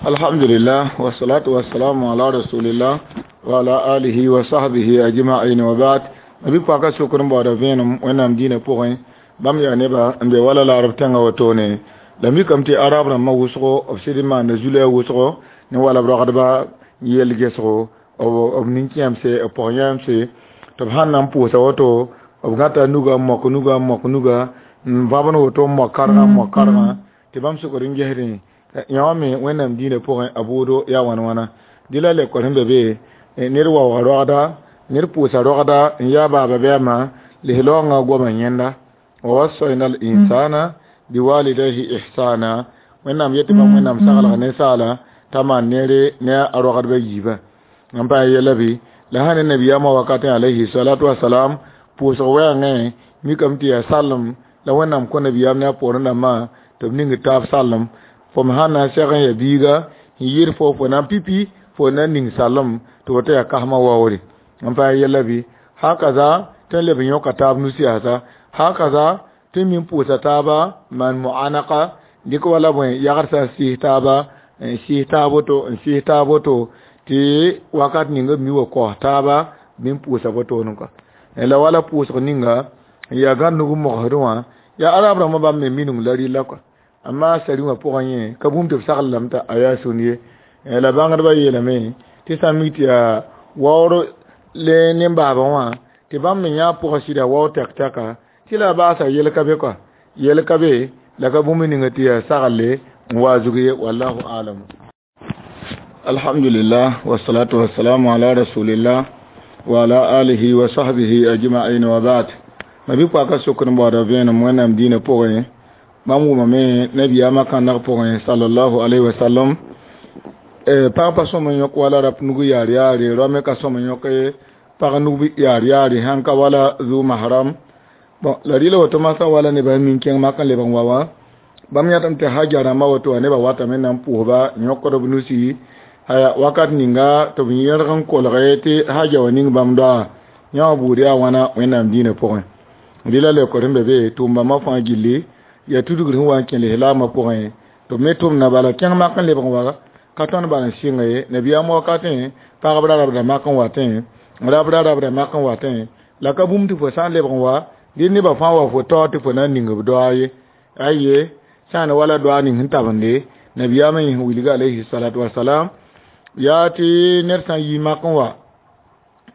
Alhamdulillah, wassalatu wassalamu ala rasulillah wa ala alihi wa sahbihi ajma'in wa ba'd. Mabi paka sokr n baooda vẽenem Wẽnnaam dĩinã pʋgẽ. Bãmb yaa nebã n be wala laarb tẽngã wotone. La mikame tɩ arab rãmbã wʋsgo b sɩd n maanda zulɛ wʋsgo ne wala b ragdba yell gesgo b nin-kẽemse b pɔg-yãamse tɩ b sãn na n pʋʋsa woto b gãta nuga n mok nuga n mok nuga n vãbd woto n mok kargã n mok kargã tɩ bãmb sokd n gesdẽ yã me Wẽnnaam dĩinã pʋgẽ a bʋʋdo yaa wãn wãna. Dɩ la lekor sẽn be be ned waooga rogda ned pʋʋsa rogda n yaa baaba bɩ a ma lislaoongã goamã yẽnda wa wassayna al insana biwalidayhi ihsana. Wẽnnaam yetɩ bãmb Wẽnnaam saglg ninsaala t'a maan neere ne a rogdbã yiibã n pa yɛla bɩ la sã ne nabiyaamã wakatẽ alayhi salatu wasalam pʋʋsg wɛɛngẽ mikame tɩ yaa sallem la Wẽnnaam kõ nabiyaam ne a poorẽ dãmbã tɩ b ning taab sallem. Fo me sãn na n seg n yaa biiga n yɩɩd fo na n pipi fo na n ning sallem tɩ woto yaa kasmã waoore n pa yɛla bɩ hakaza tɩ n leb n yõka taab nus yaasa hakaza tɩ min pʋʋsa taaba maan muanaka dɩk wala bõe yagd sã n sɩɩs taaba n sɩɩs taab woto n sɩɩs taab woto tɩ wakat ning b mi wa kaoos taaba bɩ n pʋʋsa wotone kɔ. La wala pʋʋsg ninga n yaa gãd nug n mogsdẽ wã yaa arab rãmbã bãmb me minung la rɩla kɔ. Amma sari wã pʋgẽ yẽ ka bũmb tɩ b sagl lame t'a a yaa sũn ye. La bãngdbã yeelame tɩ sã n mi tɩ yaa waoor le nen-baabã wã tɩ bãmb me yã pʋgã sɩda waoor tɛk-tɛka tɩ la a baasa yel ka be kɔ yel ka be la ka bũmb ninga tɩ yaa saglle n wa zug ye wallahu alam. Alhamdulillah, wassalatu wassalamu ala rasulillah wa ala alihi wa sahbihi ajma'in wa ba'd. Mabi paka sokr n baooda vẽenem Wẽnnaam dĩinã pʋgẽ. Bãmb wʋmame nabiyaamã kãndg pʋgẽ sallallahu alayhi wa sallam pag pa sõm n yõk wala rap nug yaar yaare rao me ka sõm n yõk pag nug yaar yaare sãn ka wala zu mahram. Bon la rɩla woto masã wala nebã min kẽng mak n lebg n wa wã bãmb yãtame tɩ haja rãmbã woto wã nebã watame na n pʋʋsba n yõkd b nusi aya wakat ninga tɩ b yẽrg n kolge tɩ haja wã ning bãmb doa yã wã buud yaa wãna Wẽnnaam dĩinã pʋgẽ. Rɩla lekor sẽn be be tʋʋm-bãmbã fãa gilli yaa tudgr sẽn wa n kẽ lislaamã pʋgẽ tɩ b me tʋmda bala kẽng mak n lebg n wa ka tõnd bal n sɩnga ye nabiyaam wakatẽ pagb ra rabda mak n watẽ rab ra rabda mak n watẽ la ka bũmb tɩ fo sã n lebg n wa dɩ nebã fãa wa fo tao tɩ fo na n ning b doa ye aye sã n wala doa ning sẽn tabende nabiyaamã yẽ sẽn wilga alayhi salatu wasalam yaa tɩ ned sã n yi mak n wa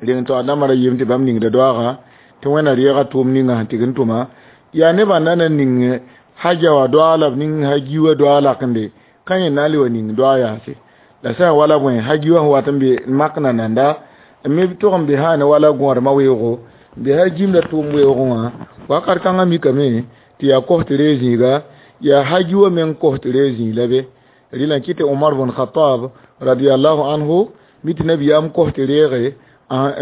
reng taoor dãmbã ra yeem tɩ bãmb ningda doaagã tɩ Wẽnna reega tʋʋm ninga sẽn tɩg n tʋma yaa nebã na na ning haja wã doa la b ning haji wã doa lakende ka yẽ na n le wa ning doa yaase la sã n wala bõe haji wã sẽn wat n be mak na nanda n me tʋg n be sã ne wala gõodmã weoogo n be hajimda tʋʋm weoogẽ wã wakat kãngã mikame tɩ yaa kos tɩ reeg zĩiga yaa haji wã meng kos tɩ reeg zĩig la be rɩla n kɩ tɩ Umar bn Khattab radiallahu anhu mi tɩ nabiyaam kos tɩ reege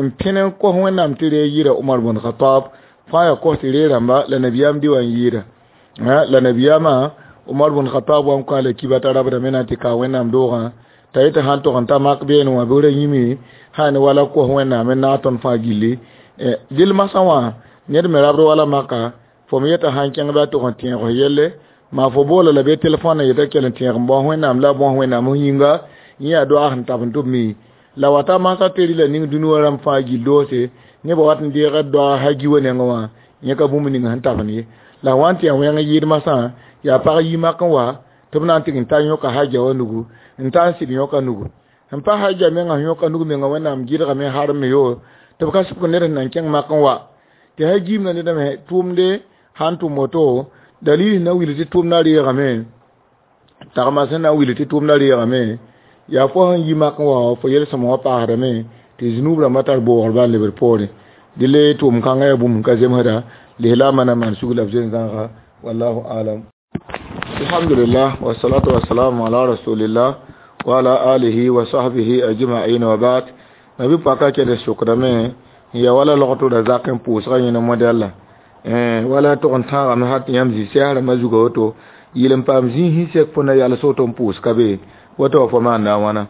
n pẽn n kos Wẽnnaam tɩ reeg yɩɩra Umar bn Khattab fãa yaa kos tɩ reeg rãmba la nabiyaam dɩ wã n yɩɩda la nabiyaamã Umar bn Khattab wa n kõ a la kiba t'a rabdame na n tɩ ka Wẽnnaam doogã t'a yetɩ sãn tog n ta mak beene wã bɩ ra yĩme sã ne wala kos Wẽnnaam n naag tõnd fãa gilli dɩl masã wã ned me rabd wala maka fo me yeta sãn kẽng bɩ a tog n tẽeg f yelle maa fo boola la bɩ telefõn n yeta kell n tẽeg n bao Wẽnnaam la a bõs Wẽnnaam f yĩnga yẽ yaa doaag sẽn tab n tɩ b mi la wata masã tɩ rɩla ning dũni wã rãmb fãa gill doose nebã wat n deega doag haji wã nengẽ wã yẽ ka bũmb ning sẽn tabend ye la wa n tɩ yaa wẽng yɩɩd masã yaa pag yi mak n wa tɩ b na n tɩg n ta yõka haja wã nugu n ta n sɩd yõka nugu n pa haja mengã sẽn yõka nug menga Wẽnnaam gɩdgame harem yo tɩ b ka sɩbg ned sẽn na n kẽng mak n wa tɩ hajiimda ned me tʋʋmde sãn tʋm woto dalil sẽn na n wilg tɩ tʋʋmdã reegame tagma sẽn na n wilg tɩ tʋʋmdã reegame yaa fo sẽn yi mak n wa fo yel-sõma wã paasdame tɩ zũnub rãmbã tar boogr bal lebd poorẽ dɩ tʋʋm kãngã yaa bũmb ka zemsda lislaamã na maan sug la b zoe-zãaga wallahu alam. Alhamdulillah, wassalatu wassalamu ala rasulillah wa ala alihi wa sahbihi ajma'in wa ba'd. Nabi paka kẽd sokdame n yaa wala logto da zak n pʋʋsgã yẽne modɛlla wala tʋg n tãagame hat yãmb zĩ sɛs rãmbã zuga woto yɩl n paam zĩig sẽn sek fo na yals woto n pʋʋs ka be woto wa fo maanda a wãna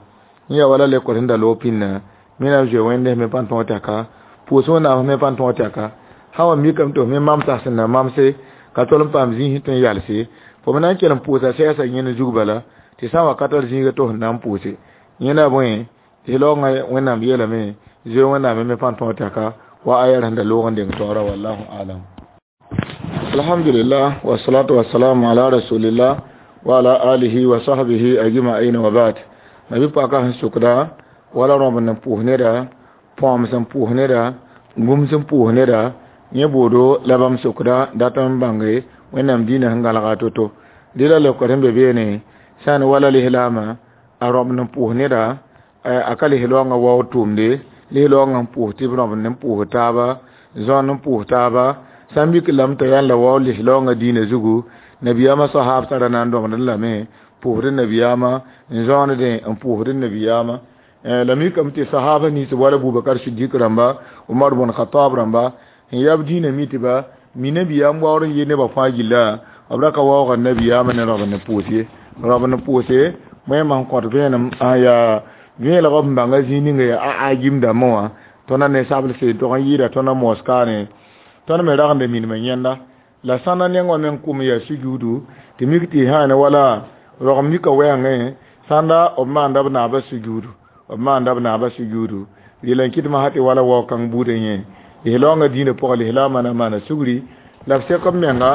yẽ yaa wala lekor sẽn da loog pĩnna mina zoe wẽnde me pãn tõog tɛka pʋʋs Wẽnnaam me pãn tõog tɛka sã wa mikame tɩ f me mamsa sẽn na mamse ka tol n paam zĩig tɩ n yalse fo me na n kell n pʋʋsa sɛɛsa yẽnd zug bala Tɩ sã n wa ka tar zĩiga tɩ f na n pʋʋse yẽna bõe lislaoongã Wẽnnaam yeelame zoe Wẽnnaam me pãn tõog tɛka wa aya sẽn da loog n deng taoora wallahu alam. Alhamdulillah wassalatu wassalamu ala rasulillah wa ala alihi wa sahbihi ajma'in wa ba'd. Nabi paka sẽn sʋkda wala rõb n pʋʋs neda, põam sẽn pʋʋs neda, gũm sẽn pʋʋs neda, yẽ boodo la bãmb sʋkda dat n bãnge Wẽnnaam dĩinã sẽn gãlga to-to. Dɩ la leokd sẽn be beene sã n wala lislaamã a rõb n pʋʋs neda, a ka lislaoongã waood tʋʋmde, lislaoongã n pʋʋs tɩ b rõb n pʋʋs taaba, zõn n pʋʋs taaba, sã n mik lame t'a yãnd la waood lislaoongã dĩinã zugu, nabiyaamã sahaab tara na n dõmdẽ lame pʋʋsd nabiyaamã, n zõondẽ n pʋʋsd nabiyaamã. La mikame tɩ sahaba nins wala Bubakar Sidik rãmba, Umar bn Khatab rãmba n yab dĩinã mi tɩ ba mi nabiyaam waoor n yɩ nebã fãa gilla, b ra ka waoogã nabiyaamã ne rõb n pʋʋs ye. Rõb n pʋʋse wẽnnaam sẽn kõt vẽenem n yaa vẽelg b bãnga zĩig ninga yaa a gim dãmbã wã tõnd ne sablse tog n yɩɩda tõnd moskaane tõnd me ragenda minimã yẽnda la sãnda neng wã meng kʋm yaa sujuudu tɩ mik tɩ sã ne wala rog mika wɛɛngẽ sãnda b maanda b naabã sujuudu, b maanda b naabã sujuudu. Rɩla n kɩt masã tɩ wala wao kãng buudã yẽ lislaoongã dĩinã pʋgã lislaamã na maana sugri la b sek b menga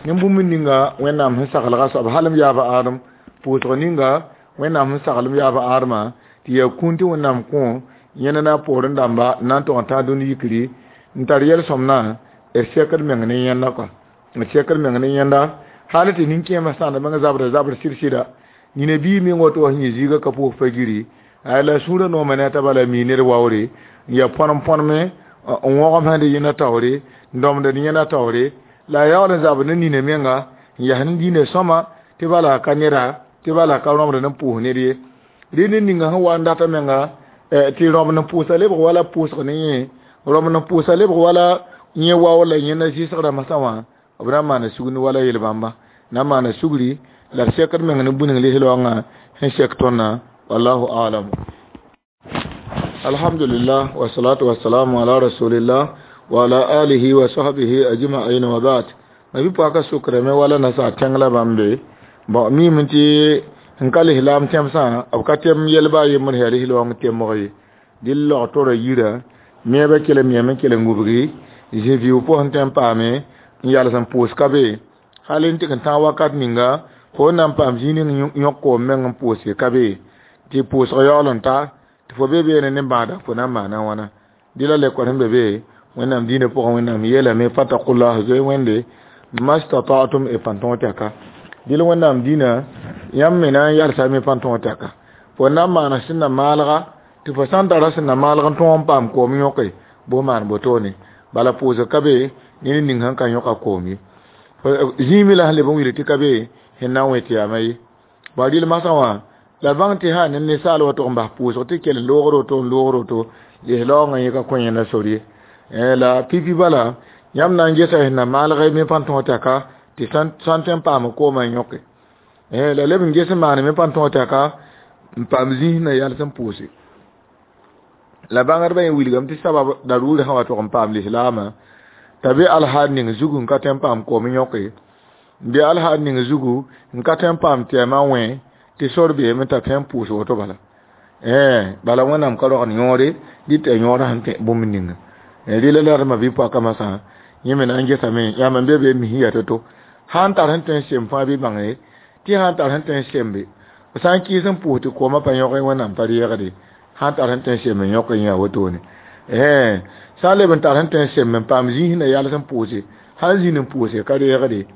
ne bũmb ninga Wẽnnaam sẽn saglga soab hal m yaab a Adem pʋʋsg ninga Wẽnnaam sẽn sagl m yaab a Ademã tɩ yaa kũun tɩ Wẽnnaam kõ yẽna na poorẽ dãmba n na n tog n tãag dũni yikri n tar yel-sõmnã d sekd meng ne yẽnda kɔa, d sekd meng ne yẽnda hal tɩ nin-kẽemã sãnd meng zabra zabr sɩd-sɩda nina bii meng woto wa sẽn yẽ zĩiga ka pʋʋs pa giri la sũurã nooma ne a taba la mi ned waoore n yaa põnem-põneme n wõgem sẽn dɩ yẽna taoore n dõmd d yẽna taoore la a yaool n zabd ne nina menga n yas ne dĩinã sõma tɩ bala ka neda tɩ bala ka rõmd n pʋʋs ned ye. Rẽ ned ninga sẽn wa n data menga tɩ rõb n pʋʋsa lebg wala pʋʋsg ne yẽ, rõb n pʋʋsa lebg wala yẽ wao la yẽna zɩsgrã masã wã b na n maana sugr wala yel-bãmba na n maana sugri la d sekd meng ne bũning lislaoongã sẽn sek tõndã wallahu alam. Alhamdulillah wassalatu wassalamu ala rasulillah wa ala alihi wa sahbihi ajma'in wa ba'd. Nabi paka sukrame wala nasa tẽng la bãmb be bon mime tɩ n ka lislaam tẽmsã b ka tẽm yelba a yembr yaa lislaoong temg ye dɩl log tora yira meebã kell n meem n kell n gubgi zĩ-viu pʋsẽ tẽ n paame n yals n pʋʋs ka be hal n tɩg n tãag wakat ninga fo n na n paam zĩig ning yõk koom meng n pʋʋse ka be tɩ pʋʋsg yaool n ta tɩ fo be beene ne bãada fo na n maana wãna dɩ la lekor sẽn be be Wẽnnaam dĩinã pʋgẽ Wẽnnaam yeelame fatakullah zoe Wẽnde mastata'tum y pãn tõog tɛka dɩl Wẽnnaam dĩinã yãmb me na n yalsa me pãn tõog tɛka fo na n maana sẽn na maalga tɩ fo sã n tara sẽn na maalg n tõog n paam koom yõke bʋ maan botone bala pʋʋsg ka be ne ned ning sẽn ka yõka koom ye zĩig me la sẽn leb n wilg tɩ ka be sẽn na n wẽ tɩ yaama ye ba rɩl masã wã la bãng tɩ sã ne ninsaal wa tʋg n bas pʋʋsg tɩ kell n loogr woto n loogr woto lislaoongã yẽ ka kõ yẽnda sor ye la pipi bala yãmb na n gesa sẽn na maalg me pãn tõog tɛka tɩ sã n tõe n paam koomã n yõke la leb n ges n maan me pãn tõog tɛka n paam zĩis na yals n pʋʋse la bãngdbã yẽ wilgame tɩ sabab daruur sã wa tʋg n paam lislaamã t'a be alhaal ning zugu n ka tõe n paam koom yõke n be alhaal ning zugu n ka tõe n paam tɛɛmã wẽ tɩ sor beeme t'a tõe n pʋʋs woto bala bala Wẽnnaam ka rogd yõore dɩ tɩ a yõorã sẽn tẽ bũmb ninga rɩla la d ma bi-poakã masã yẽ me na n gesame yãmb n be be mis ya to-to sã n tar sẽn tõe n sem fãa bɩ bãnge tɩ sã n tar sẽn tõe n sembe b sã n kɩɩs n pʋʋs tɩ koomã pa yõge Wẽnnaam pa reegde sã n tar sẽn tõe n sem n yõk yẽ yaa wotone sã n leb n tar sẽn tõe n sem n paam zĩis na yals n pʋʋse sã n zĩnd n pʋʋse ka reegde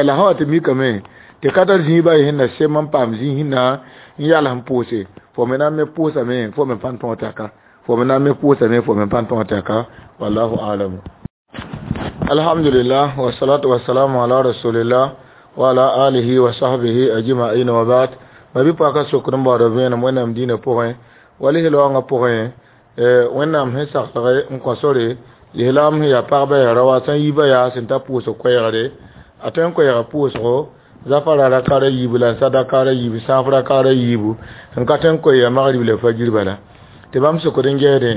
la sã wa tɩ mikame tɩ ka tar zĩig ba ye sẽn na sem n paam zĩis na n yals n pʋʋse fo me na n me pʋʋsame fo me pãn tõog tɛka fo me na n me pʋʋsame fo me pãn tõog tɛka wallahu alam. Alhamdulillah wassalatu wassalamu ala rasulillah wa ala alihi wa sahbihi ajma'in wa ba'd. Ma bi paka sokr n baood vẽenem Wẽnnaam dĩinã pʋgẽ wa lislaoongã pʋgẽ Wẽnnaam sẽn saglg n kõ sore lislaam sẽn yaa pagba yaa raoa sã n yiibã yaa sẽn ta pʋʋsg koɛɛgre a tõe n koɛɛga pʋʋsgo zafara rakara yiibu la sadakara yiibu sãaf rakara yiibu n ka tõe n koe yaa magrib la fajir bala tɩ bãmb sokd n gesdẽ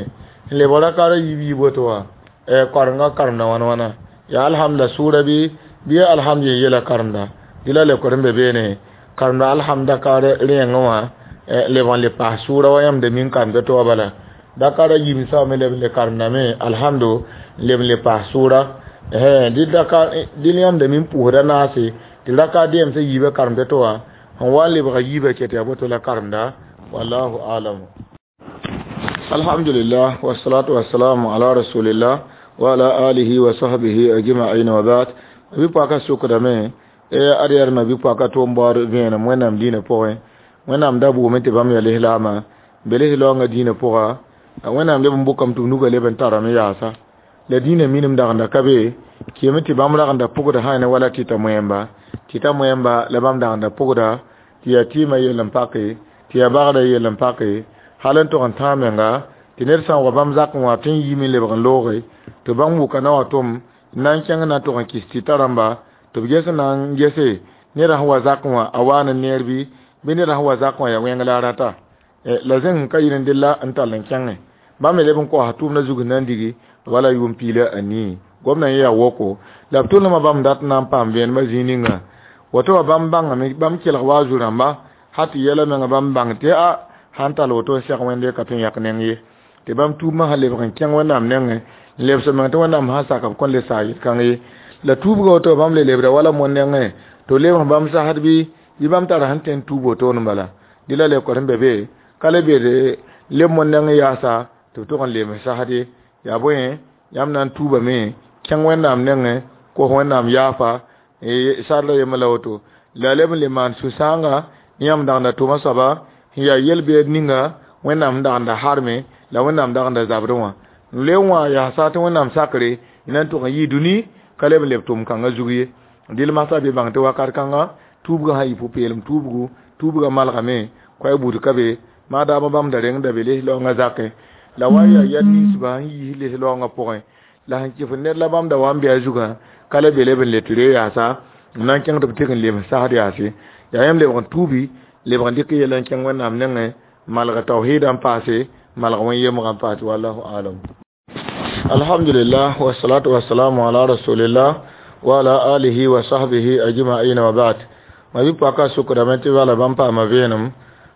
n lebg rakara yiib yiib woto wã korenga karemda wãn wãna yaa alhamdulillah sʋʋra bɩ alhamdulillah yela karemda dɩ la lekor n be beene Karemda alhamda ka rẽengẽ wã leb n le paas sʋʋra wa yãmb da min karemda tɩ wa bala dakara yimsa me leb n le karemdame alhamdu leb n le paas sʋʋra dɩl yãmb da min pʋʋsda naase tɩ raka dɛɛm sã yiibã karemda tɩ wa sẽn wa n lebga yiibã ket yaa boto la karemda wallahu alam. Alhamdulillah wassalatu wassalamu ala rasulillah wa ala alihi wa sahbihi ajma'in wa ba'd. Bi paka sokdame e ad yaa ma bi paka tʋm baood vẽenem wẽnnaam dĩinã pʋgẽ wẽnnaam da bʋʋme tɩ bãmb yaa lislaama be lislaoongã dĩinã pʋga wẽnnaam leb n bʋkame tɩ b nugã leb n tarame yaasa la dĩinã minim dagenda ka be kɩɩme tɩ bãmb ragenda pʋgda sã ne wala tɩta moẽmba tɩta moẽmba la bãmb dagenda pʋgda tɩ yaa tɩɩmã yell n pake tɩ yaa bagdã yell n pake hal n tog n tãag menga tɩ ned sã n wa bãmb zakẽ wã tɩ n yiime n lebg n looge tɩ bãmb wʋka na wa tʋm n na n kẽng na n tog n kɩs tɩta rãmba tɩ b ges n na n gese ned sẽn wa zakẽ wã a waa ne neer bɩ bɩ ned sẽn wa zakẽ wã yaa wẽng la a rata la zẽng ka yɩl n della n tall n kẽngẽ bãmb me leb n koasa tʋʋmdã zug n na n digi wala yʋʋm piila a nii gomdã yẽ yaa woko la b tʋlmã bãmb dat n na n paam vẽenemã zĩig ninga woto wã bãmb bãngame bãmb kelg wa a zu-rãmba ha tɩ yɛla menga bãmb bãng tɩ a sãn tall woto n seg wẽnde ka tõe n yãk neng ye tɩ bãmb tuubmã sã lebg n kẽng wẽnnaam nengẽ n lebs meng tɩ wẽnnaam sã sak b kõn le saag yel-kãng ye la tuubga woto bãmb le lebda wala moon nengẽ tɩ lebg bãmb sasd bɩ bɩ bãmb tara sẽn tõe n tuub wotone bala dɩ la leokd sẽn be be ka le be leb moon nengẽ yaasa tɩ b tʋg n leem sasd ye yaa bõe yãmb na n tuubame kẽng wẽnnaam nengẽ kos wẽnnaam yaafa sarla yembr la woto la leb n le maan sũ-sãanga yãmb dagenda tʋma soaba sẽn yaa yel-beed ninga wẽnnaam sẽn dagenda harme la wẽnnaam dagenda zabdẽ wã n le wã yaasa tɩ wẽnnaam sakre na n tʋg n yɩ dũni ka leb n leb tʋm kãngã zug ye dɩl masã be bãng tɩ wakat kãnga tuubgã sã yɩ pʋ-peelem tuubgu tuubgã malgame koɛɛ buud ka be maadaamã bãmb da rengda be lislaoongã zakẽ la wa yaa yɛl ninsbã sẽn yiis lislaoongã pʋgẽ la sẽn kɩf ned la bãmb da wa n bɩ a zugã ka le be leb n le tɩ re yaasa n na n kẽng tɩ b tɩg n lems sasd yaase yaa yãmb lebg n tuubi lebg n dɩk yɛla n kẽng wẽnnaam nengẽ malg tawhiidã n paase malg wẽn-yemgã n paase wallahu alam. Alhamdulillah wassalatu wassalamu ala rasulillah wa ala alihi wa sahbihi ajma'in wa ba'd. Ma bi paka sukdame tɩ bala bãmb paama vẽenem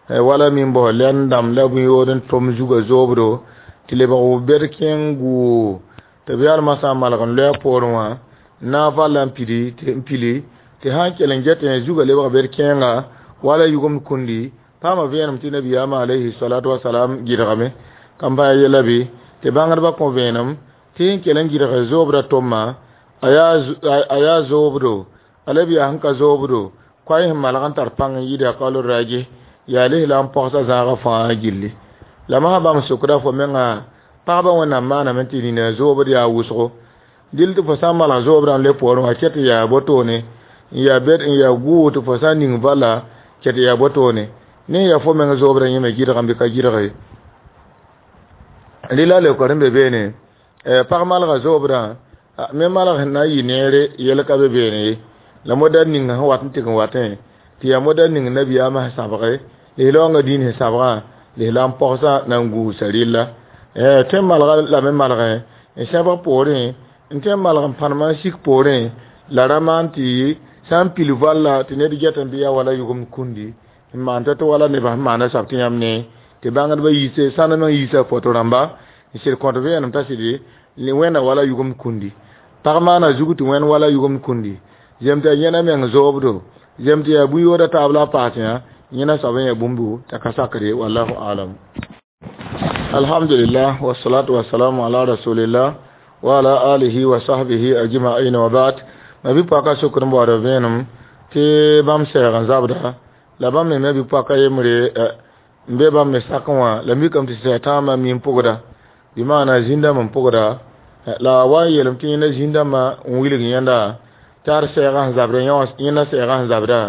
wala min bos lɛn dãmb la bũyood n tʋm zugã zoobdo tɩ lebg w bed kẽng guu tɩ b yalmã sã n malg n loɛ poorẽ wã na n valla n pidi n pili tɩ sã n kell n get zugã lebg bed kẽenga wala yugmd kũndi paama vẽenem tɩ nabiyaamã alayhi salatu wasalam gɩdgame kam pa yɛla bɩ tɩ bãngdbã kõ vẽenem tɩ sẽn kell n gɩdg zoobdã tʋmma a yaa zoobdo a leb yaa sẽn ka zoobdo koay sẽn malg n tar pãng n yɩɩda kaol raje yaa lislaam pɔgsa zãagã fãa gilli la masã bãmb sokda fo menga pagba wẽnnaam maaname tɩ nina zoobd yaa wʋsgo dɩl tɩ fo sã n malg zoobdã n le poorẽ wã ket yaa botoone n yaa bed n yaa guu tɩ fo sã n ning vala ket yaa botoone ne yaa fo meng zoobdã yẽme gɩdgame bɩ ka gɩdge rɩla leokd sẽn be beene pag malga zoobdã me malg sẽn na n yɩ neere yɛl ka be beene ye la moda ning sẽn wat n tɩg n watẽ tɩ yaa moda ning nabiyaamã sẽn sãbge lislaoongã dĩin sẽn sãbgã lislaam pɔgsã na n guusa rɩlla tõe n malga lame malgẽ n sẽbg poorẽ n tõe n malg n pãnemã n sik poorẽ la ra maan tɩ sã n pil valla tɩ ned get n bɩ yaa wala yugmd kũndi n maan tɩ wala nebã sẽn maana soab tɩ yãmb ne tɩ bãngdbã yiise sãn meng yiisa foto rãmba n sɩd kõt vẽenem t'a sɩd wẽnna wala yugmd kũndi pag maana zug tɩ wẽnd wala yugmd kũndi zem tɩ yaa yẽna meng zoobdo zem tɩ yaa bũyooda taab la a paas yã yẽna soab n yaa bũmbu t'a ka sakre wallahu alam. Alhamdulillah wassalatu wassalamu ala rasulillah wa ala alihi wa sahbihi ajma'in wa ba'd. Ma bi paka sokr n baood vẽenem tɩ bãmb sɛɛg n zabda la bãmb me me bi paka yembre n be bãmb me sakẽ wã la mikame tɩ sɛɛtãamã mi n pʋgda bɩ maana zĩndãmb n pʋgda la wa n yeelem tɩ yẽnda zĩndãmbã n wilg yẽnda tɩ ad sɛɛgã sẽn zabda yẽnda sɛɛgã sẽn zabda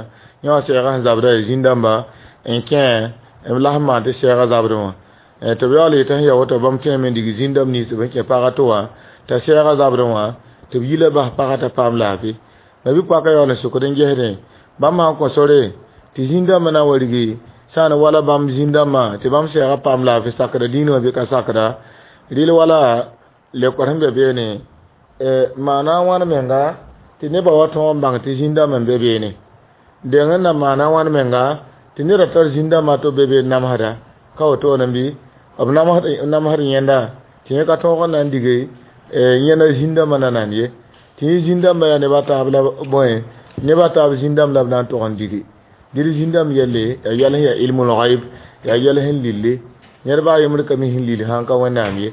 yẽ wã sɛɛgã sẽn zabda yaa zĩndãmba n kẽ b la sẽn maan tɩ sɛɛgã zabdẽ wã tɩ b yaool yetɩ sẽn ya woto bãmb tõeme n dig zĩndãmb nins b n kẽ pagã tɩ wã t'a sɛɛgã zabdẽ wã tɩ b yila bas pagã t'a paam laafɩ la bɩ paka yaool n sokd n gesdẽ bãmb sã n kõ sore tɩ zĩndãmbã na n wa rigi sã n wala bãmb zĩndãmbã tɩ bãmb sɛɛgã paam laafɩ sakda dĩinã wã bɩ ka sakda rɩl wala leokd sẽn be beene maana wãn menga tɩ nebã wa tõog n bãng tɩ zĩndãmb n be beene Deng na maana wãn menga tɩ neda tar zĩn-dãmbã tɩ b be be n namsda ka wotone bɩ b namsd yẽnda tɩ yẽ ka tõog n na n dige yẽnda zĩn-dãmbã na nan ye tɩ yẽ zĩn-dãmbã yaa neb a taab la bõe neb a taab zĩn-dãmb la b na n tog n digi dɩd zĩn-dãmb yelle yaa yɛl sẽn yaa ilmul ghaib yaa yɛl sẽn lille ned baa yembr ka mi sẽn lil sãn ka Wẽnnaam ye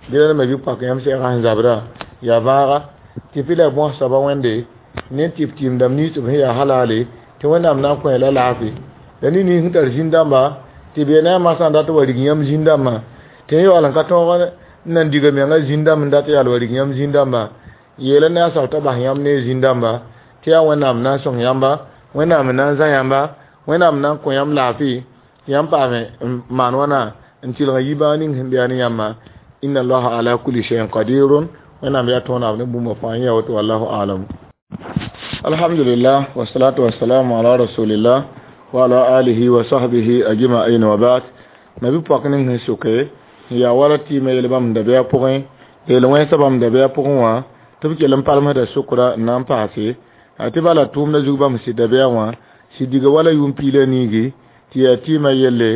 dẽla me bɩ pak yãmb sɛɛgã sẽn zabdã yaa vãaga tɩ pɩ la bõs soaba Wẽnde ne tɩ b tɩɩmdãmb nins b sẽn yaa halale tɩ Wẽnnaam na n kõ la laafɩ la ned nins sẽn tar zĩn-dãmba tɩ be ne a masã n dat wa rig yãmb zĩn-dãmbã tɩ yẽ yaool n ka tõog n na n diga menga zĩn-dãmb n dat yaal wa rig yãmb zĩn-dãmbã yeela ne a soab t'a bas yãmb ne zĩn-dãmba tɩ yaa Wẽnnaam na n sõng yãmba Wẽnnaam n na n zã yãmba Wẽnnaam na n kõ yãmb laafɩ tɩ yãmb paame n maan wãna n tɩlg n yi bãag ning sẽn be yaa ne yãmba inna allaha ala kulli shay'in qadirun Wẽnnaam yaa tõonam ne bũmba fãa yẽ yaa woto wallahu alam. Alhamdulillah wassalatu wassalamu ala rasulillah wa ala alihi wa sahbihi ajma'in wa ba'd. Nabi pɔk ning sẽn soke n yaa wala tɩɩmã yel bãmb dabɛa pʋgẽ yel wẽnsa bãmb dabɛa pʋgẽ wã tɩ b kell n palmsda sokra n na n paase tɩ bala tʋʋmdã zug bãmb sɩd dabɛa wã sɩd diga wala yʋʋm piig la niigi tɩ yaa tɩɩmã yelle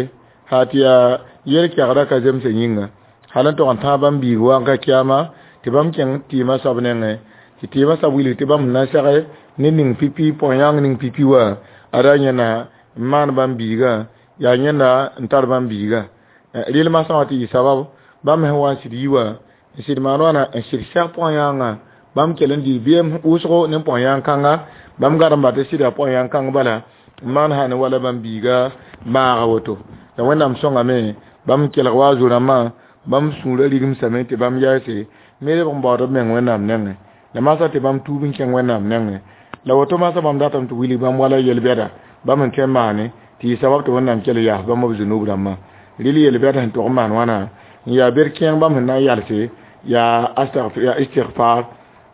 ha tɩ yaa yel-kɛgdã ka zemsã yĩnga hal n tog n tãag bãmb biig wa n ka kiyama tɩ bãmb kẽng tɩɩmã soab nengẽ tɩ tɩɩmã soab wilg tɩ bãmb na n sɛge ne ning pipi pɔg-yãng ning pipi wã ada yẽna n maan bãmb biigã yaa yẽnda n tar bãmb biigã rɩl masã wã tɩ yɩ sabab bãmb sẽn wa n sɩd yi wã n sɩd maan wãna n sɩd sɛg pɔg-yãangã bãmb kell n dɩ beem wʋsgo ne pɔg-yãng kãnga bãmb garemba tɩ sɩda pɔg-yãng kãng bala n maan sã ne wala bãmb biiga maaga woto la Wẽnnaam sõngame bãmb kelg wa zo-rãmbã bãmb sũurã rigmsame tɩ bãmb yaase me lebg n baood b meng Wẽnnaam nengẽ la masã tɩ bãmb tuub n kẽng Wẽnnaam nengẽ la woto masã bãmb datame tɩ wilg bãmb wala yel-bɛda bãmb sẽn tõe n maane tɩ yɩ sabab tɩ Wẽnnaam kell yaas bãmb b zunub rãmbã rɩl yel-bɛd sẽn tog n maan wãna n yaa ber kẽeng bãmb sẽn na n yalse yaa yaa istigfar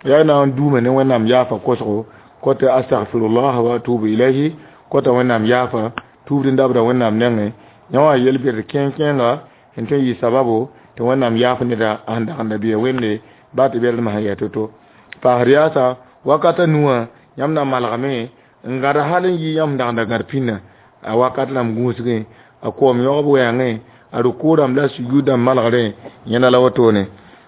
yaa na n duume ne Wẽnnaam yaafa kosgo kota astaghfirullah wa atubu ilayhi kota Wẽnnaam yaafa tuubd n dabda Wẽnnaam nengẽ yã wã yel-bɛd kẽeng-kẽenga sẽn tõe n yɩ sababo tɩ Wẽnnaam yaaf neda sẽn dag n da bɩa Wẽnde baa tɩ bɛd masã yaa to-to paasd yaasa wakata nuwã yãmb na malgame n gãd hal n yɩ yãmb dag n da gãd pĩnã a wakat rãmb gũusgẽ a koom yõgb wɛɛngẽ a rʋkʋ rãmb la a sujud rãmb malgrẽ yẽna la wotone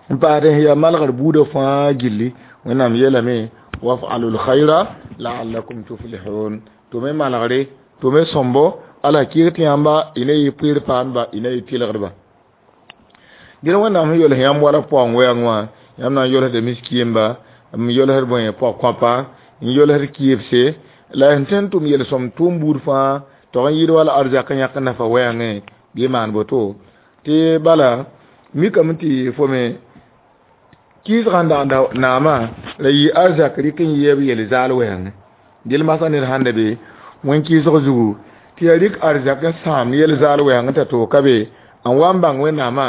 n paasd sẽn yaa malgr buudã fãa gilli Wẽnnaam yeelame waf'alul khayra la'allakum tuflihun tɩ me malgre tɩ me sõmbo ala kɩɩg tɩ yãmba y ne yɩ pʋɩɩr paandba y ne yɩ tɩlgdba dẽn Wẽnnaam sẽn yols yãmb wala paoong wɛɛng wã yãmb na n yolsda miskɩɩmba n yolsd bõe pɔg-kõapa n yolsd kɩɩbse la sẽn tõe n tʋm yel-sõm tʋʋm buud fãa tog n yɩɩd wala arzak n yãk n nafa wɛɛngẽ bɩ maan boto tɩ bala mikame tɩ fo me kɩɩsgã n dagda naamã la yɩ arzak rɩk n yeeb yel-zaal wɛɛngẽ dɩl masã ned sãn da be wẽn-kɩɩsg zugu tɩ yaa rɩk arzak n sãam yel-zaal wɛɛngẽ t'a toog ka be n wa n bãng Wẽnnaamã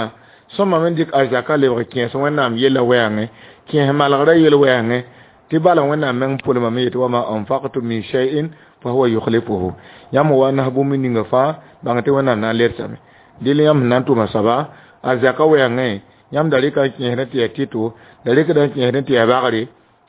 sõma me dɩk arzakã lebg kẽes Wẽnnaam yella wɛɛngẽ kẽes malgrã yel wɛɛngẽ tɩ bala Wẽnnaam meng pʋlmame yetɩ wama anfaqtum min shay'in fa huwa yukhlifuhu yãmb wa nas bũmb ninga fãa bãng tɩ Wẽnnaam na n ledsame dɩl yãmb sẽn na n tʋma soaba arzakã wɛɛngẽ yãmb da rɩka n kẽesdẽ tɩ yaa tɩto da rɩkda n kẽesdẽ tɩ yaa bagre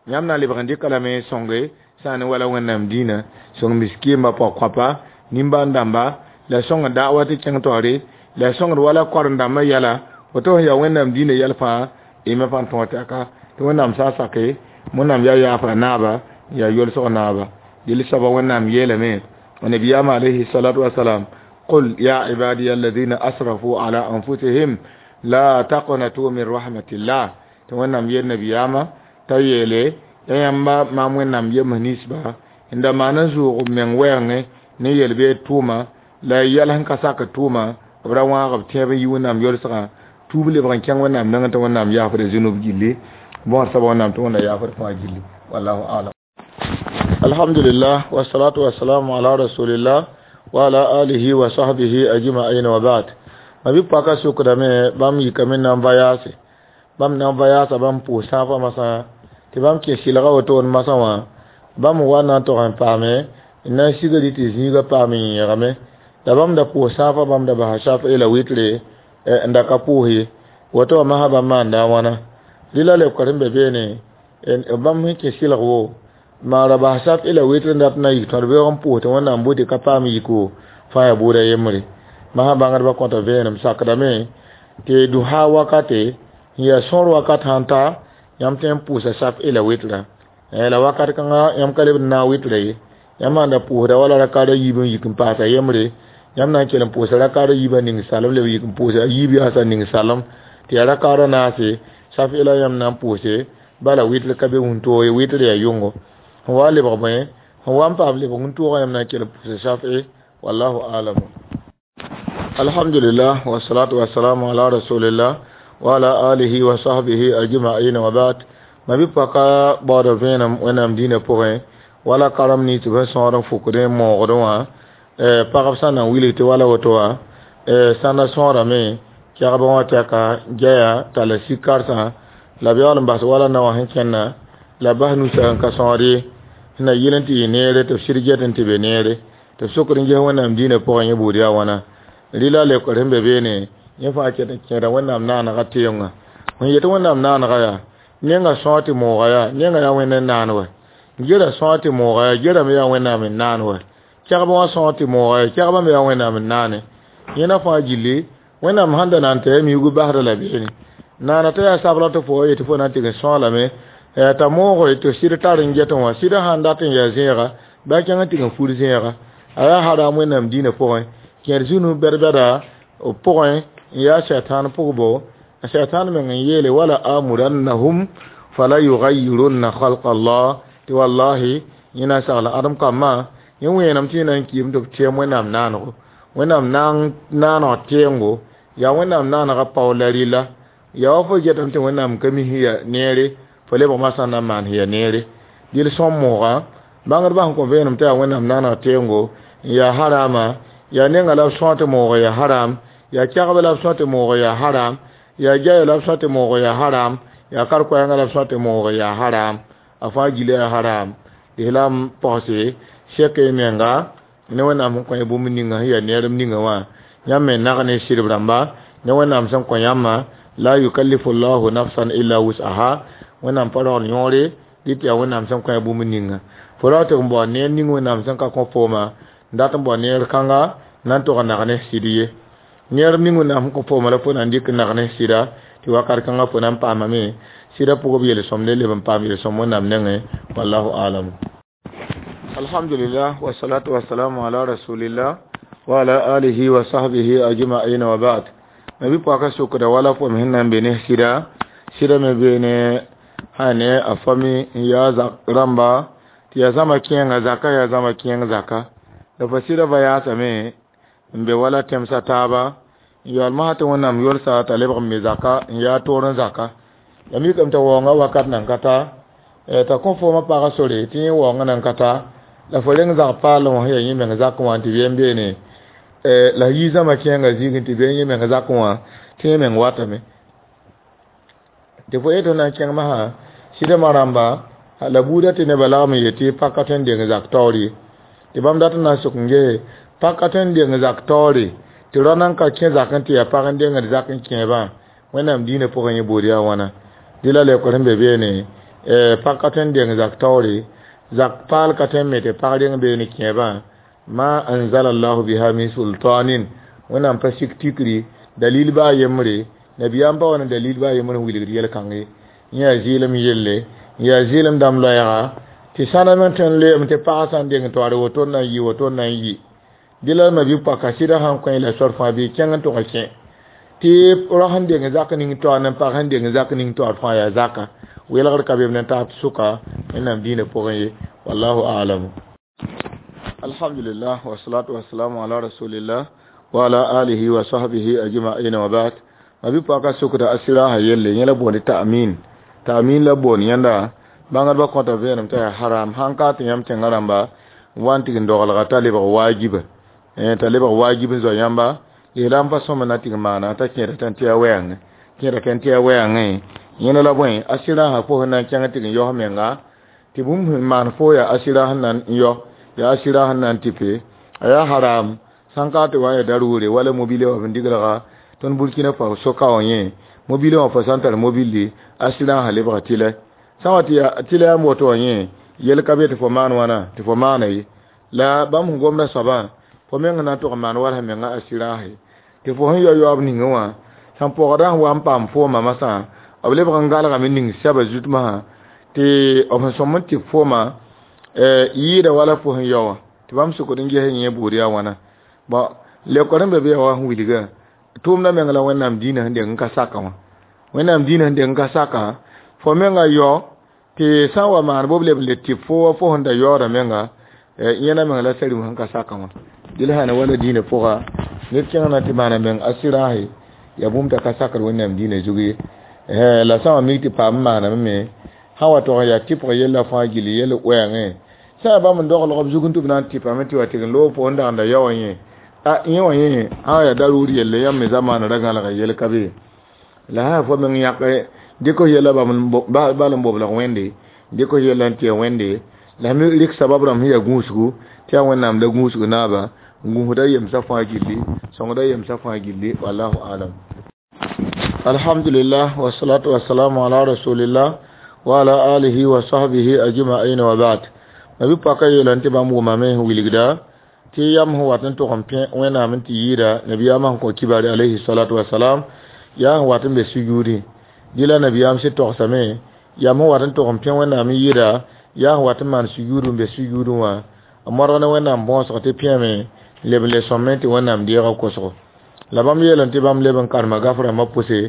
yãmb na n lebg n dɩka lame sõnge sã n ne wala Wẽnnaam dĩinã sõng miskɩɩmba pɔg-kõapa nimbãan-dãmba la sõng da'wa tɩ kẽng taoore la sõngd wala koren-dãmbã yɛla woto sẽn yaa Wẽnnaam dĩinã yɛl fãa y me pa tõog tɩ aka tɩ Wẽnnaam sã n sake Wẽnnaam yaa yaafa naaba n yaa yolsg naaba dɩl soaba Wẽnnaam yeelame nabiyaam alayhi salatu wasalam qul ya ibadiya alladhina asrafu ala anfusihim la taqnatu min rahmatillah tɩ Wẽnnaam yeel nabiyaamã t'a yeele ya yãmba maam Wẽnnaam yems ninsba n da maan n zʋʋg b meng wɛɛngẽ ne yel-beed tʋʋma la yɛl sẽn ka sak tʋʋma b ra wãag b tẽeb n yi Wẽnnaam yolsgã tuub lebg n kẽng Wẽnnaam nengẽ tɩ Wẽnnaam yaafda zũnub gilli bõor soaba Wẽnnaam tɩ Wẽnna yaafd fãa gilli wallahu alam. Alhamdulillah wassalatu wassalamu ala rasulillah wa ala alihi wa sahbihi ajma'in wa ba'd. Ma bɩ paka sokdame bãmb yikame na n va yaase bãmb na n va yaasa bãmb pʋʋs sãafã masã tɩ bãmb kẽ sɩlga wotone masã wã bãmb wa na n tog n paame n na n sigri tɩ zĩigã paam n yẽgame la bãmb da pʋʋs sãafã bãmb da basa shaf'i la witre n da ka pʋʋs ye woto wã masã bãmb maanda a wãna rɩla leoka sẽn be beene bãmb sẽn kẽ sɩlg wo Maan ra bas safɩ la witr n dat n na yik tõd beoog n pʋʋs tɩ Wẽnnaam bʋ tɩ ka paam yiko fãa yaa buudã yembre. Masã bãngdbã kõta vẽenem sakdame tɩ duha wakate n yaa sõor wakat sãn ta yãmb tõe n pʋʋsa safɩ la witra. La wakat kãngã yãmb ka lebd n naag witra ye. Yãmb sãn da pʋʋsda wala rakaad a yiib n yik n paasa yembre, yãmb na n kell n pʋʋsa rakaad a yiibã ning salem leb yik n pʋʋsa a yiib yaasã ning salem tɩ yaa rakaad a naase safɩ la yãmb na n pʋʋse bala witr ka be wũntoog ye, witr yaa yʋngo. Sẽn wa lebg bõe, sẽn wa n paam lebg wũntoogã yãmb na n kell n pʋʋsa safɩ, wallahu alam. Alhamdulillah wassalatu wassalamu ala rasulillah wa ala alihi wa sahbihi ajma'in wa ba'd. Mabi-pɔka baood vẽenem Wẽnnaam dĩinã pʋgẽ wala karem nins tɩ b sẽn sõor n fʋkdẽ n moogdẽ wã, pagb sã n na n wilg tɩ wala woto wã sãnda sõorame kɛgbẽ wã tɛka gɛya talla sik karsã la b yaool n bas wala naowã sẽn kẽnna la bas nusa n ka sõor ye sẽn na yɩl n tɩ yɩ neere tɩ b sɩd get n tɩ be neere tɩ b sokd n ges Wẽnnaam dĩinã pʋgẽ yẽ buud yaa wãna. Rɩla leokr sẽn be beene yẽ fãa ket n kẽeda Wẽnnaam naanegã teoongã. Sẽn yet Wẽnnaam naanegã yaa nenga sõor tɩ mooga yaa nenga yaa Wẽnd n naan wɛ, gera sõor tɩ mooga yaa gera me yaa Wẽnnaam n naan wɛ, kɛgbã wã sõor tɩ mooga yaa kɛgbã me yaa Wẽnnaam n naane. Yẽna fãa gilli Wẽnnaam sãn da na n tɩ a miugu basda la beene. Naana t'a yaa sabla tɩ fo wa yetɩ fo na n tɩg n sõolame t'a mooge tɩ sɩd tar n get wã sɩd sãn dat n yaa zẽega bɩ a kẽng n tɩg n fur zẽega. A yaa haram Wẽnnaam dĩinã pʋgẽ kẽer zũnu bɛd-bɛda pʋgẽ n yaa sɛtãan pʋgbo. A sɛtãan meng n yeele wala amurannahum fala yugayirunna khalqa Allah tɩ wallahi yẽ na n sagla ãdem kambã yẽ wẽenem tɩ yẽ na n kiim tɩ b tɛɛm Wẽnnaam naanego. Wẽnnaam naaneg tɛɛngo yaa Wẽnnaam naanegã pao la rɩla yaa wa fo getame tɩ Wẽnnaam ka mi sẽn yaa neere fo lebg masã n na n maan sẽn yaa neere. Dɩl sõm moogã bãngdbã sẽn kõ vẽenem tɩ yaa Wẽnnaam naaneg tɛɛngo n yaa harama yaa nenga la b sõor tɩ moog yaa haram yaa kɛgbã la b sõor tɩ moog yaa haram yaa gɛya la b sõor tɩ moog yaa haram yaa kar-koɛɛngã la b sõor tɩ moog yaa haram a fãa gila yaa haram. Lislaam pɔgse sɛk y menga ne Wẽnnaam sẽn kõ y bũmb ninga sẽn yaa neerem ninga wã yãmb me nag ne sɩdb rãmba ne Wẽnnaam sẽn kõ yãmbã la yukallifu llahu nafsan illa wus'aha Wẽnnaam pa rogl yõore dɩ tɩ yaa Wẽnnaam sẽn kõ y bũmb ninga. Fo ra tɩ n bao neer ning Wẽnnaam sẽn ka kõ fooma n dat n bao neer kãnga na n tog n nag ne sɩd ye. Neerem ning Wẽnnaam sẽn kõ fooma la fo na n dɩk n nag ne sɩda tɩ wakat kãngã fo na n paamame sɩda pʋgb yel-sõmde leb n paam yel-sõm Wẽnnaam nengẽ wallahu alam. Alhamdulillah wassalatu wassalamu ala rasulillah wa ala alihi wa sahbihi ajma'in wa ba'd. Mabi-pɔka sokda wala fo me sẽn na n be ne sɩda sɩda me beene sã ne a fami n yaa zak rãmba tɩ yaa zãma kẽenga zaka yaa zãma kẽeng zaka la fo sɩda va yaasame n be wala tẽmsã taaba n yaool masã tɩ Wẽnnaam yolsa t'a lebg n me zaka n yaa toor n zaka. La mikame t'a waoongã wakat nan ka ta t'a kõ foomã pagã sore tɩ yẽ waoongã nan ka ta la fo reng zag paalem wã sẽn yaa yẽ meng zakẽ wã tɩ bɩ n beene la yi zãma kẽengã zĩigẽ tɩ bɩ yẽ meng zakẽ wã tɩ yẽ meng watame tɩ fo yetɩ f na n kẽng masã sɩdmã rãmba la buudã tɩ nebã lagm n yetɩ paka tõe n deng zak taoor ye tɩ bãmb dat n na n sok n gese paka tõe n deng zak taoore tɩ rao nan ka kẽ zak n tɩ yaa pag n dengd zak n kẽebã Wẽnnaam dĩinã pʋgẽ yẽ buud yaa wãna. Dɩ la leokr sẽn be beene pag ka tõe n deng zak taoore zak paal ka tõe n me tɩ pag reng beene kẽebã ma anzala llahu biha min sultanin Wẽnnaam pa sik tikri dalil baa yembre nabiyaam pa wa ne dalil baa yembre n wilgd yel-kãng ye yẽ yaa zɩɩlem yelle n yaa zɩɩlem dãmb loɛɛga tɩ sãna me tõe n loeeme tɩ pagã sã n deng toaare woto n na n yɩ woto n na n yɩ. Dɩ la mabi-pɔka sɩdã sãn kõ la sor fãa bɩ kẽng n tʋg kẽ tɩ rao sẽn deng zak ning taoor ne pag sẽn deng zak ning taoor fãa yaa zaka welgr ka beem ne taab sʋka Wẽnnaam dĩinã pʋgẽ ye wallahu alam. Alhamdulillah wassalatu wassalamu ala rasulillah wa ala alihi wa sahbihi ajma'in wa ba'd. Mabi-pɔka sokda a sɩrasã yelle yẽ la boonde ta'min ta'min la boon yẽnda bãngdbã kõta vẽenem t'a yaa haram sãn ka tɩ yãmb tẽngã rãmba n wa n tɩg n dogelga t'a lebg waajiba t'a lebg waajib n zoa yãmba lislaam pa sõma na tɩg n maana t'a kẽeda tẽn tɩ ya wɛɛngẽ kẽeda kẽn tɩ ya wɛɛngẽ yẽna la bõe a sɩrasã fo sẽn na n kẽng tɩg n yaos menga tɩ bũmb sẽn maan fo yaa a sɩra sẽn na n yao yaa a sɩra sẽn na n tɩpe a yaa haram sãn ka tɩ wa n yaa daruure wala mobile wã f digrga tõnd Burkina Faso soka wã yẽ mobile wã fo sã n tar mobilli a sɩrasã lebga tɩlɛ sã n wa tɩ yaa tɩlɛ yãmb woto wã yẽ Yel ka be tɩ fo maan wãna tɩ fo maana ye la bãmb sẽn gomda soabã fo meng na n tʋg n maan wala menga asiraase tɩ fo sẽn yao yaoob ningẽ wã sẽn pɔgdã sẽn wa n paam foomã masã b lebg n galgame ning sɛba zut masã tɩ b sẽn sõm n tɩ foomã yɩɩda wala fo sẽn yao wã tɩ bãmb sokd n ges yẽ buud yaa wãna bɔn leokd sẽn be be yaa wa sẽn wilga tʋʋmdã meng la Wẽnnaam dĩinã sẽn deng n ka saka wã Wẽnnaam dĩinã sẽn deng n ka saka fo menga yao tɩ sã n wa maan bo b leb n le tɩ fo wa fo sẽn da yaooda menga yẽna meng la sarim sẽn ka saka wã dɩl sãn wala dĩinã pʋga ned kẽng na tɩ maana meng asɩraase yaa bũmb t'a ka sakd Wẽnnaam dĩinã zug ye la sã n wa mik tɩ paam n maaname me sã wa tog n yaa tɩpg yella fãa gilli yell wɛɛngẽ sã yaa bãmb n doglg b zug n tɩ b na n tɩpame tɩ wa tɩg n loog fo n dagenda yao wã yẽ a yẽ wã yẽ sã yaa daruur yelle yãmb me zamaana ra gãlga yel ka be la sã fo meng yãk dɩk f yella bal n boblg Wẽnde dɩk f yella n tɩ Wẽnde la mi rɩk sabab rãmb sẽn yaa gũusgu tɩ yaa Wẽnnaam la gũusg naaba n gũusda yemsã fãa gilli sõngda yemsã fãa gilli wallahu alam. Alhamdulillah wassalatu wassalamu ala rasulillah wa ala alihi wa sahbihi ajma'in wa ba'd. Nabi paka yeela tɩ bãmb wʋmame sẽn wilgda tɩ yam sẽn wat n tʋg n pẽ Wẽnnaam n tɩ yɩɩda nabiyaamã sẽn kõ kibare alayhi salatu wasalam yaa sẽn wat n be sujuudẽ dɩ la nabiyaam sɩd togsame yam sẽn wat n tʋg n pẽ Wẽnnaam n yɩɩda yaa sẽn wat n maan sujuud n be sujuudẽ wã n modg ne Wẽnnaam bõosg tɩ pẽeme leb n le sõmẽ tɩ Wẽnnaam deega kosgo la bãmb yeelame tɩ bãmb leb n karema gaf rãmbã pʋse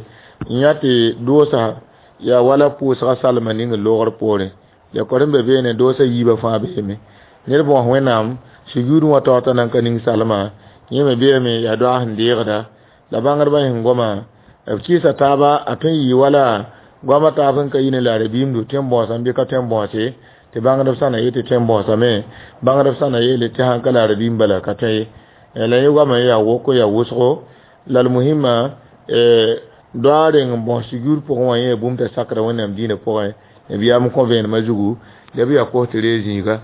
n yã tɩ doosa yaa wala pʋʋsga salma ning loogr poorẽ lekor sẽn be beene doosa yiibã fãa beeme ned bõos Wẽnnaam sujuudẽ wã taoor t'a nan ka ning salma yẽ me beeme yaa doaag sẽn deegda la bãngdbã sẽn goma b kɩɩsa taaba a tõe n yɩ wala goamã taab sẽn ka yi ne la rabiimdu tõe n bõosame bɩ ka tõe n bõose tɩ bãngdb sã na yetɩ tõe n bõosame bãngdb sã na yeele tɩ sãn ka la rabiim bala ka tõe ye la yẽ goamã yaa woko yaa wʋsgo la l muhimma doa reng n bõs sujuud pʋgẽ wã yẽ bũmb t'a sakra Wẽnnaam dĩinã pʋgẽ nabiyaam kõ vẽenemã zugu la b yaa kos tɩ ree zĩiga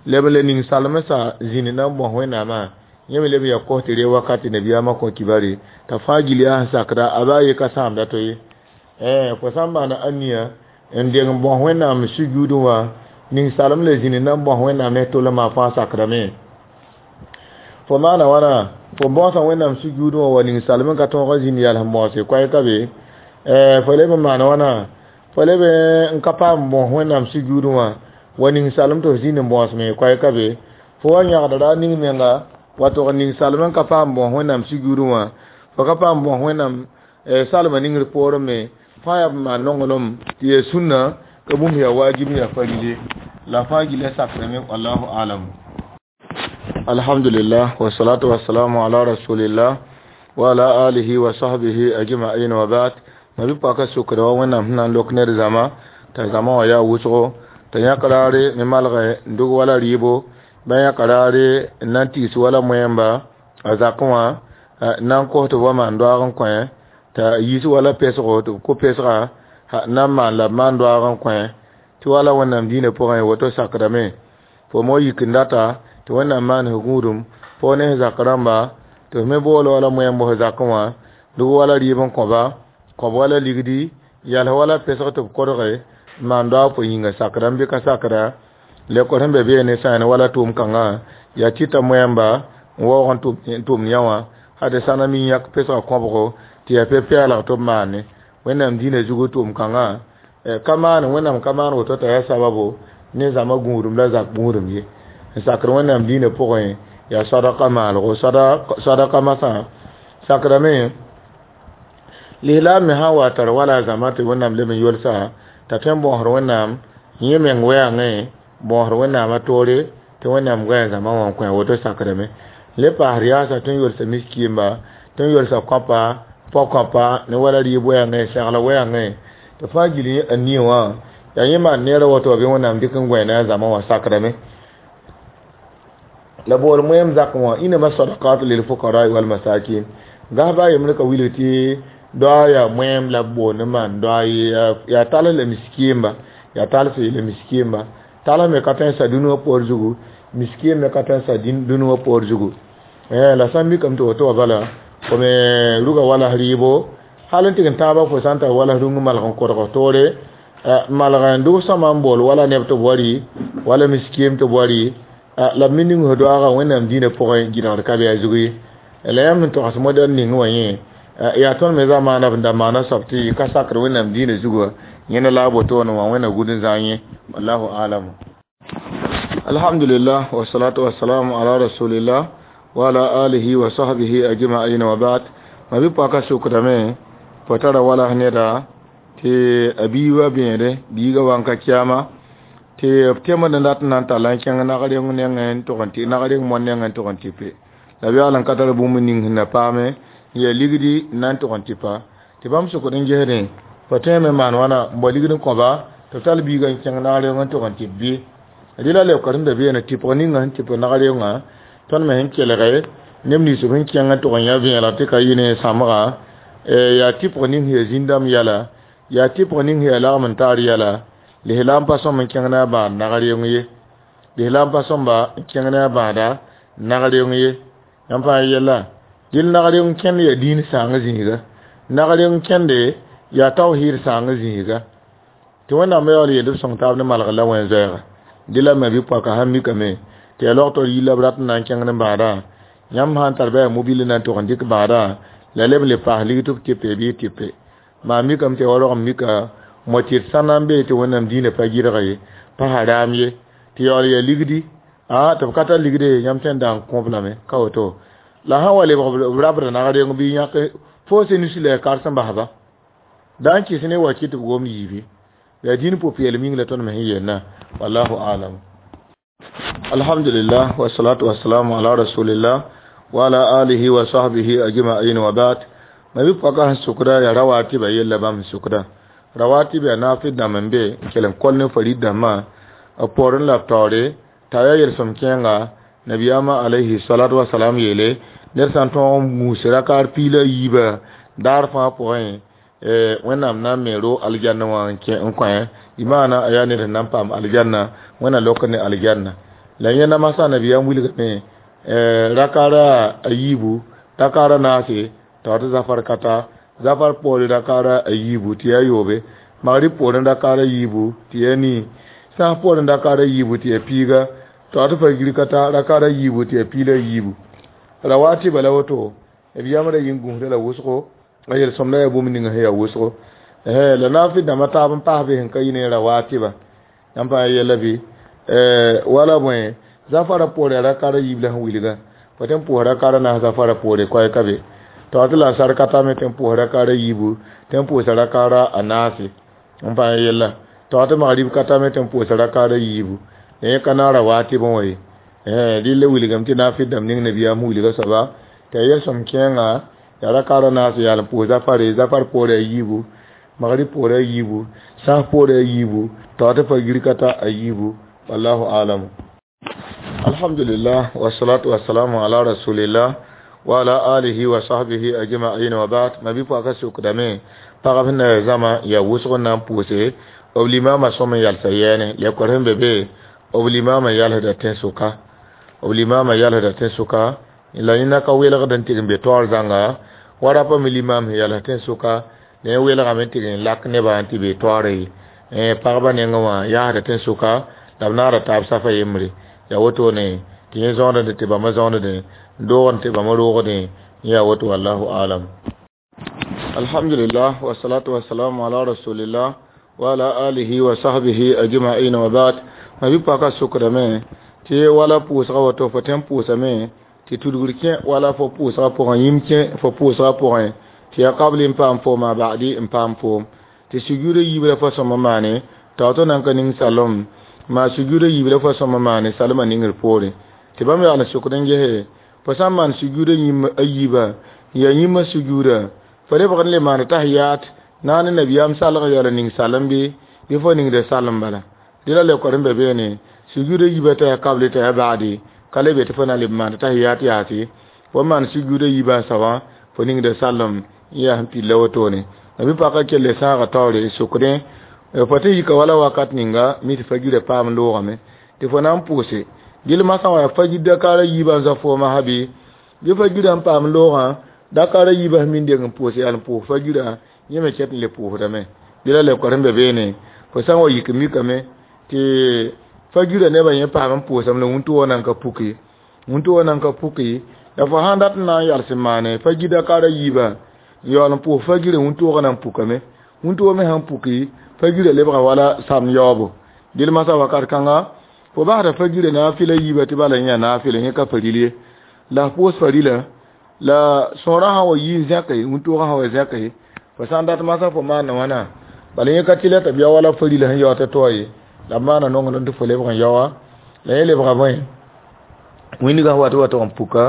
leb n le ning salmsã zĩnd na n bõs Wẽnnaamã yẽ me leb n yaa kos tɩ ree wakat tɩ nabiyaamã kõ kibare t'a fãa gil yaa sẽn sakda a baa ye ka sãamda to ye fo sã n maana aniya n deng n bõs Wẽnnaam sujuudẽ wã ning salem la zĩnd na n bõs Wẽnnaam ne tʋlmã fãa sakrame fo maana wãna fo bõosã Wẽnnaam sujuudẽ wã wa ning salem n ka tõog n zĩnd yal sẽn bõose koɛɛ ka be fo leb n maana wãna fo leb n ka paam bõs Wẽnnaam sujuudẽ wã wa ning salem tɩ f zĩnd n bõosme koɛɛ ka be fo wa yãgda ra ning menga wa tog ning salem n ka paam bõs Wẽnnaam sujuudẽ wã fo ka paam bõs Wẽnnaam salmã ningr poorẽ me fãa yaa b maan nonglem tɩ yaa sũnna ka bũmb yaa wajib yaa farile la fãa gila sakrame wallahu alam. Alhamdulillah wassalatu wassalamu ala rasulillah wa ala alihi wa sahbihi ajma'in wa ba'd. Nabi paka sokra wa Wẽnnaam sẽn na n lok ned zãma t'a zãma wã yaa wʋsgo t'a yãk raare ne malgẽ n dog wala rɩɩbo ba yãk raare n na n tigs wala moẽmba a zakẽ wã na n kos tɩ b wa maan doaag n kõ t'a yiis wala pesgo tɩ b kʋ pesga na n maan la b maan doaag n kõ tɩ wala Wẽnnaam dĩinã pʋgẽ woto sakdame fo mo yik n data tɩ Wẽnnaam maan f gũudum fo ne f zak rãmba tɩ f me bool wala moẽmb f zakẽ wã dug wala rɩɩb n kõba kõb wala ligdi yals wala pesg tɩ b kodge n maan doaag fo yĩnga sakdame bɩ ka sakda lekor sẽn be beene sã wala tʋʋm kãngã yaa tɩta moẽmba n waoog n tʋmd yã wã had sã na mi yãk pesgã kõbgo tɩ yaa pe-peelg tɩ b maane Wẽnnaam dĩinã zugu tʋʋm kãngã ka maan Wẽnnaam ka maan woto t'a yaa sababo ne zãma gũudum la zak gũudum ye n sakr Wẽnnaam dĩinã pʋgẽ yaa sadaka maalgo sadaka masã sakrame lislaam me sã n wa tar wala zãma tɩ Wẽnnaam leb n yolsa t'a tõe n bõosd Wẽnnaam yẽ meng wɛɛngẽ bõosd Wẽnnaamã toore tɩ Wẽnnaam goɛɛ zãma wã n kõ woto sakrame le paasd yaasa tõe n yolsa miskiimba tõe n yolsa kõpa pɔ-kõpa ne wala rɩɩb wɛɛngẽ segl wɛɛngẽ tɩ fãa gil a nie wã yaa yẽ maan neerã woto bɩ Wẽnnaam dɩk n gõe ne a zãma wã sakrame la bool moẽem zakẽ wã inama sadakat lil fuqara wal masakin gas baa yembre ka wilg tɩ doa yaa moẽem la b boond n maan doa yaa tals la miskiimba yaa tals la miskiimba tals me ka tõe n sa dũni wã poor zugu miskiim me ka tõe n sa dũni wã poor zugu la sã n mikame tɩ woto wã bala fo me ruga wala rɩɩbo hal n tɩg n tãabã fo sã n tar wala rũng malg n kodg toore malg n dʋg sõma n bool wala neb tɩ b wa rɩ Wala miskiem tɩ boari la b me ning f doaaga Wẽnnaam dĩinã pʋgẽ gɩdgd ka be a zug ye. La yãmb sẽn togs modɛl ning wã yẽ yaa tõnd me zamaana b da maana soab tɩ ka sakd Wẽnnaam dĩinã zugã yẽna la a wotone wã Wẽnna gũud n zã yẽ. Wallahu alam. Alhamdulillah wa salatu wa salam ala rasulillah wa ala alihi wa sahbihi ajma'in wa ba'd. Ma bi paka sukdame fo tara wala neda tɩ a biiga bẽede biiga wa n ka kiyama tɩ b tẽmd n dat n na n talla n kẽng nag reng nengẽ n tʋg n tɩ nag reng moan nengẽ n tʋg n tɩpe la b yaool n ka tar bũmb ning sẽn na paame n yaa ligdi n na n tʋg n tɩpa tɩ bãmb sʋkd n gesdẽ fo tõeme maan wãna n bao ligd n kõba tɩ b tall biiga n kẽng nag reng n tʋg n tɩp bɩ rɩla leoka sẽn da beene tɩpg ninga sẽn tɩp nag rengã tõnd me sẽn kelge neb nins b sẽn kẽng n tʋg n yã vẽelg tɩ ka yɩ ne sãmbga yaa tɩpg ning sẽn yaa zĩn-dãmb yɛla yaa tɩpg ning sẽn yaa lagm n taar yɛla lislaam pa sõm n kẽng ne a bãad nag reong ye lislaam pa sõmba n kẽng ne a bãada nag reong ye yãmb fãa yɛla dɩl nag reong kẽnd yaa dĩin sãang zĩiga nag reong kẽnde yaa tawhiid sãang zĩiga tɩ Wẽnnaam yaool yeel b sõng taab ne malgr la wẽn-zoɛɛga dɩ la me bɩ poaka sãn mikame tɩ yaa log tɩ yilla b rat n na n kẽngd n bãadã yãmb sã n tar bɩ yaa mobile na n tʋg n dɩk bãadã la leb n le paas lig tɩ b tɩpe bɩ tɩpe maa mikame tɩ ya wa rog n mika mo-tɩt sã na n bee tɩ Wẽnnaam dĩinã pa gɩdg ye pa haram ye tɩ yaool yaa ligdi a tɩ b ka tar ligde yãmb tõe n dag n kõb lame ka woto la sã n wa lebg b rabd nag reng bɩ yãk fo senusi la ya karsem basba da n kɩs ne wa kɩ tɩ b gomd yiibi yaa dĩin pʋ-peelem yĩng la tõnd me sẽn yeelna wallahu alam. Alhamdulillah wa salatu wa salamu ala rasulillah wa ala alihi wa sahbihi ajma'in wa ba'd. Ma bi paka sẽn sʋkda yaa rawatibã yella bãmb sẽn sʋkda rawatib yaa naafɩd dãmb n be n kell n kol ne farid dãmbã b poorẽ la b taoore t'a yaa yelsem kẽenga nabiyaamã alayhi salatu wa salam yeele ned sã n tõog n gũus rakaar piig la yiibã daar fãa pʋgẽ Wẽnnaam na n me ro aljanna wã n kẽ n kõ y maana a yaa ned sẽn na n paam aljanna Wẽnna lok ne aljanna la yẽnda masã nabiyaam wilgame rakaara a yiibu rakaara naase t'a tɩ zafar kata zafar poore rakaara a yiibu tɩ yaa yoobe magrib poorẽ rakaara yiibu tɩ yaa nii sãas poorẽ rakaara yiibu tɩ yaa piiga t'a tɩ fagir kata rakaara yiibu tɩ yaa piig la yiibu rawatibã la woto b yamrã yĩng gũusda la wʋsgo a yel-sõmda yaa bũmb ninga sẽn yaa wʋsgo la naafɩd dãmbã taab n paas be sẽn ka yɩ ne rawatibã yãmb fãa yɛla bɩ wala bõe zafara poore rakaara yiib la sẽn wilga fo tɩ n pʋʋs rakaara naas zafara poore koɛɛ ka be t'a tɩ la sar ka tame tɩ n pʋʋs rakaara yiibu tɩ n pʋʋsa rakaara a naase n fãa yɛla t'a tɩ magrib ka tame tɩ n pʋʋsa rakaara yiibu yẽ ka na rawatibẽ wã ye rɩla wilgame tɩ naafɩd dãmb ning nabiyaam wilga soaba tɩ a yel-sõm kẽenga yaa rakaara naas yaal n pʋʋs zafare zafar poore a yiibu magrib poore a yiibu sãas poore a yiibu t'a tɩ fagir ka ta a yiibu wallahu alam. Alhamdulillah wa salatu wa salamu ala rasulillah wa ala alihi wa sahbihi ajma'in wa ba'd. Ma bi paka sukdame pagab sẽn na zãma yaa wʋsg n na n pʋʋse b limama sõm n yalsa yɛɛne lekor sẽn be be b limama yalsda tẽn-sʋka b limama yalsda tẽn-sʋka la yẽna ka welgd n tɩg n be taoor zãnga wa rapa me limam sẽn yals tẽn-sʋka la yẽ welgame n tɩg n lak nebã n tɩ be taoore ye pagba nengẽ wã yaasda tẽn-sʋka la b naara taab safa yembre yaa wotone tɩ yẽ zõodẽ tɩ bãmba zõodẽ doogd tɩ bãmba roogdẽ yaa woto wallahu alam. Alhamdulillah wa salatu wa salamu ala rasulillah wa ala alihi wa sahbihi ajma'in wa ba'd. Ma bi paka sukdame tɩ wala pʋʋsga woto fo tõe n pʋʋsame tɩ tudgr kẽ wala fo pʋʋsga pʋgẽ yĩm kẽ fo pʋʋsga pʋgẽ tɩ yaa kabli n paam foom a ba'di n paam foom tɩ sugurã yiib la fo sõma maane t'a to nan ka ning salem maa sugurã yiib la fo sõma maane salmã ningr poorẽ tɩ bãmb yaool n sʋkd n gese fo sã n maan sugurã yĩm a yiibã n yaa yĩmã sugurã fo lebg n le maan tahiyat na ne nabiyaam salg yaool n ning salem bɩ fo ningda salem bala dɩ la lekor n be beene sugurã yiibã t'a yaa kabli t'a yaa ba'di ka le be tɩ fo na n leb maan tahiyat yaase fo maan sugurã yiibã soabã fo ningda salem n yaa sẽn pid la wotone la bɩ paka kelle sãaga taoore sʋkdẽ fo tɩ yika wala wakat ninga mi tɩ fagirã paam loogame tɩ fo na n pʋʋse gil masã wã yaa fagir dakaara yiibã n zã foomã sã bɩ bɩ fagirã n paam loogã dakaara yiibã sẽn min deng n pʋʋs yaa n pʋʋs fagirã yẽ me ket n le pʋʋsdame dɩ la lekor sẽn be beene fo sã n wa yik mikame tɩ Fagira nebã yẽ paam n pʋʋsame la wũntʋgã nan ka puke, wũntʋgã nan ka puke. La fo sãn dat n na n yals n maane fagir dakar a yiibã n yaool n pʋʋs fagirã, wũntʋʋgã nan pukame. Wũntʋʋg me sãn puki, fagirã lebga wala sam yaoobo. Dɩl masã wakat kãnga fo basda fagirã naafɩla yiibã tɩ bala yẽ yaa naafɩla, yẽ ka faril ye. La f pʋʋs farila la sõorã sã n wa yi n zẽke, wũntʋʋgã sã n wa zẽke, fo sã n dat masã fo maanda wãna? Bala yẽ ka tɩlɛ tɩ b ya wala farila sẽn yaood tɩ toa ye, la b maana nonglem tɩ fo lebg n yaoa. La yẽ lebga bõe? Wĩndgã sẽn wat wa tɩ n puka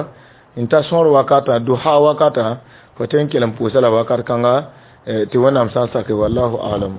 n ta sõor wakatã, duha wakatã, fo tõe n kell n pʋʋsa la wakat kãnga tɩ Wẽnnaam sã n sake. Wallahu alam.